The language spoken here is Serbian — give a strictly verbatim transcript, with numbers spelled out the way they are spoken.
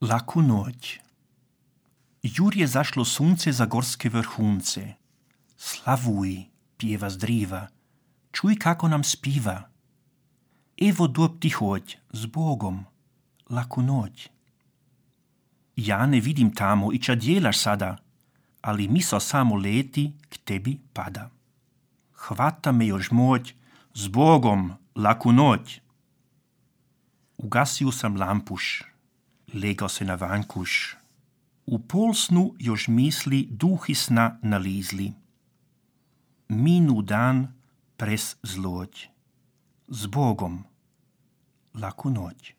Laku noć. Jur je zašlo sunce za gorske vrhunce. Slavuj, pjeva zdriva, čuj kako nam spiva. Evo dob ti hoď, s Bogom, laku noć. Ja ne vidim tamo i ča djelaš sada, ali miso samo leti k tebi pada. Hvata me još moć, s Bogom, laku noć. Ugasio sam lampuš, legao se na vankuš. U pol snu još misli duhi sna nalizli. Minu dan pres zloć. S Bogom, laku noć.